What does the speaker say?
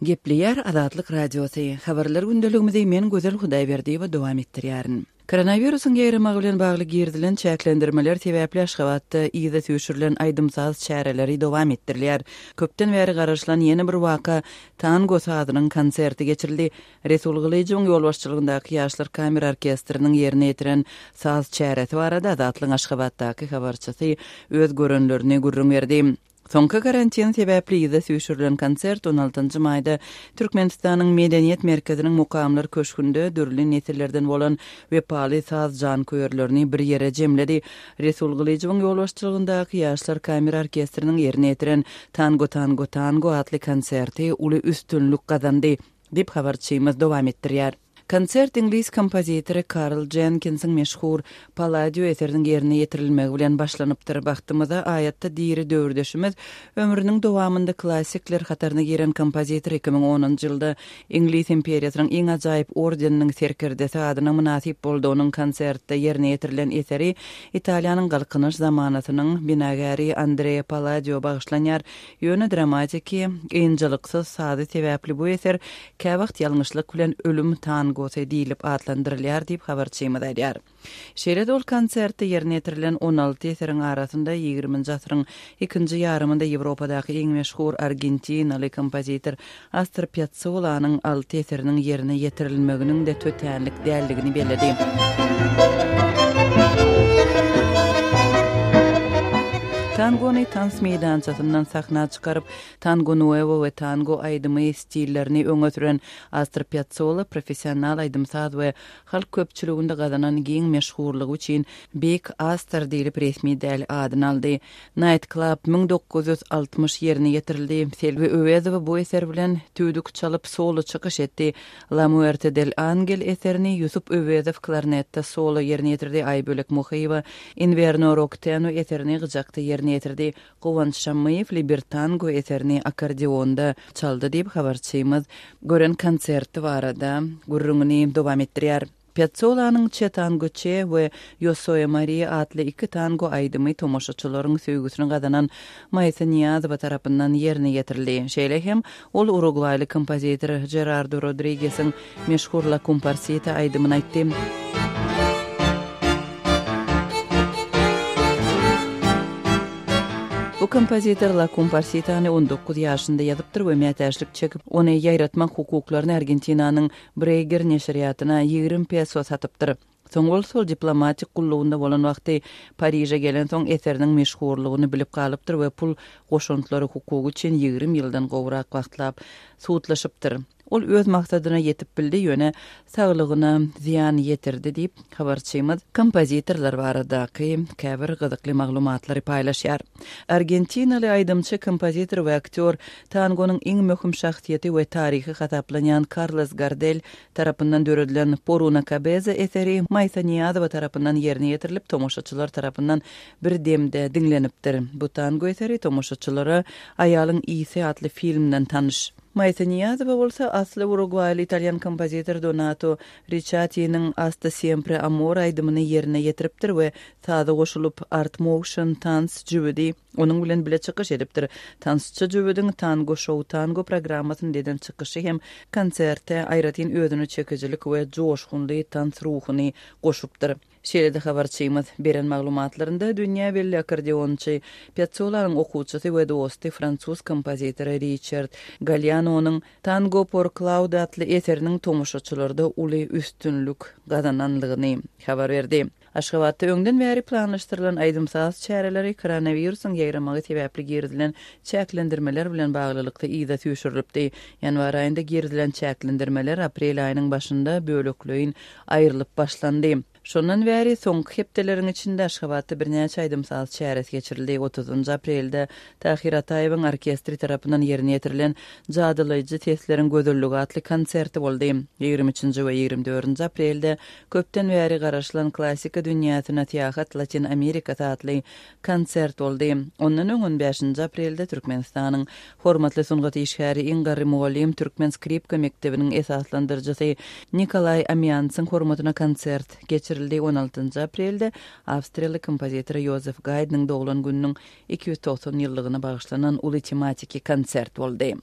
Gepleýär Azatlyk Radiosy. Habarlar gündeligimizi men Gözel Hudaýberdiýewa dowam etdirýärin. Koronawirusyň ýaýramagy bilen bagly girizilen çäklendirmeler sebäpli Aşgabatda yza süýşürilen aýdym-saz çäreleri dowam etdirilýär. Köpden bäri garaşylan ýene bir waka, tango sazynyň konserti geçirildi. Resul Gylyjowyň ýolbaşçylygyndaky Ýaşlar kamera orkestriniň ýerine ýetiren saz çäresi barada Azatlygyň Aşgabatdaky habarçysy öz görenlerini gürrüň berdi. Soňky karantin sebäpli yza süýşürilen konsert on altynjy maýda Türkmenistanyň Medeniýet merkeziniň Mukamlar köşgünde dürli nesillerden bolan wepaly saz janköýerlerini bir ýere jemledi. Resul Gylyjowyň ýolbaşçylygyndaky Ýaşlar kamera orkestriniň ýerine ýetiren Tango tango tango atly konserti uly üstünlik gazandy, diýip habarçymyz dowam etdirýär. Konsert iňlis kompozitory Karl Jenkinsiň meşhur Palladio eseriniň ýerine ýetirilmegi bilen başlanypdyr. Bagtymyza, aýatda diri döwürdeşimiz, ömrüniň dowamynda klassikler hataryna giren kompozitor 2010-njy ýylda Iňlis imperiýasynyň iň ajaýyp ordeniniň serkerdesi adyna mynasyp boldy. Onuň konsertde ýerine ýetirilen eseri Italiýanyň Galkynyş zamanasynyň binagäri Andrea Palladio bagyşlanýar. Ýöne dramatiki, ynjalyksyz sazy sebäpli bu eser käwagt ýalňyşlyk bilen Ölüm tangosy diýlip atlandyrylýar diýip, habarçymyz aýdýar. Şeýle-de ol konsertde ýerine ýetirilen 16 eseriň arasynda ýigriminji asyryň ikinji ýarymynda Ýewropadaky iň meşhur argentinaly kompozitor Astor Pýatsolanyň alty eseriniň ýerine ýetirilmeginiň-de tötänlik däldigini belledi. Tangony tans meýdançasyndan sahna çykaryp, tango nuevo we tango aýdymy stillerini öňe süren Astor Pýatsola professional aýdym-saz we halk köpçüliginde gazanan giň meşhurlygy üçin Beýik Astor diýlip resmi däl adyny aldy. Night Club 1960 ýerine ýetirildi. Selbi Öwezowa bu eser bilen tüýdük çalyp solo çykyş etdi. La Muerte del Angel eserini Ýusup Öwezow klarnetde solo ýerine ýetirdi, Aýbölek Muhyýewa Inverno Rokteno eserini gyjakda ýerine ýetirdi. Guwanç Şammyýew Libertango eserini akkordeonda çaldy diýip, habarçymyz gören konserti barada gürrüňini dowam etdirýär. Pýatsolanyň Che Tango Che we Yo Soy Maria atly iki tango aýdymy tomaşaçylaryň söýgüsini gazanan Maýsa Nyýazowa tarapyndan ýerine ýetirildi. Şeýle hem, ol urugwaýly kompozitor Žerardo Rodrigesiň meşhur La Cumparsita aýdymyny aýtdy. Bu kompozitor La Cumparsitany 19 ýaşynda ýazypdyr we mätäçlik çekip, ony ýaýratmak hukuklaryny Argentinanyň Breýger neşirýatyna 20 peso satypdyr. Soň bolsa ol diplomatik gullugynda bolan wagty Pariže gelensoň eseriniň meşhurlygyny bilip galypdyr we pul goşantlary hukugy üçin 20 ýyldan gowrak wagtlap sudlaşypdyr. Ol öz maksadyna ýetip bildi, ýöne saglygyna zyýan ýetirdi diýip, habarçymyz kompozitorlar baradaky käbir gyzykly maglumatlary paýlaşýar. Argentinaly aýdymçy, kompozitor we aktýor Tangonyň iň möhüm şahsyýeti we taryhy hasaplanýan Karlos Gardel tarapyndan döredilen Por una cabeza eseri Maýsa Nyýazowa tarapyndan ýerine ýetirilip, tomaşaçylar tarapyndan bir demde diňlenipdir. Bu tango eseri tomaşaçylara Aýalyň ysy atly filmden tanyş. Maýsa Nyýazowa bolsa asly urugwaýly italýan kompozitor Donato Riçatiniň Hasta siempre amor aýdymyny ýerine ýetiripdir we saza goşulyp Art Motion tans jübüdi Onuň bilen bile çykyş edipdir. Tansçy jübüdiň Tango Show Tango programmasynda eden çykyşy hem konserte aýratyn özüne çekijilik we joşgunly tans ruhuny goşupdyr. Şeýle-de habarçymyz beren maglumatlarynda dünýä belli akkordeonçy Pýatsolanyň okuwçysy we dosty fransuz kompozitory Riçard Gallianonyň Tango por Claude atly eseriniň tomaşaçylarda uly üstünlik gazananlygyny habar berdi. Aşgabatda öňden bäri planlaşdyrylan aýdym-saz çäreleri koronawirusyň ýaýramagy sebäpli girizilen çäklendirmeler bilen baglylykda yza süýşürilipdi. Ýanwar aýynda girizilen çäklendirmeler aprel aýynyň başynda bölekleýin aýrylyp başlandy. Şondan bäri soňky hepdeleriň içinde Aşgabatda birnäçe aýdym-saz çäresi geçirildi. Otuzynjy aprelde Tahyr Ataýewiň orkestri tarapyndan ýerine ýetirilen Jadylaýjy sesleriň gözelligi atly konserti boldy. Ýigrimi üçünji we ýigrimi dördünji aprelde Köpden bäri garaşylan Klassika dünýäsine syýahat Latyn Amerikasy atly konsert boldy. Ondan öň on bäşinji aprelde Türkmenistanyň Hormatly sungat işgäri, iň garry mugallym, türkmen skripka mekdebiniň esaslandyryjysy Nikolaý Amiansyň hormatyna konsert geçirildi. On altynjy aprelde awstriýaly kompozitor Ýozef Gaýdnyň doglan gününiň 290 ýyllygyna bagyşlanan uly tematiki konsert boldy.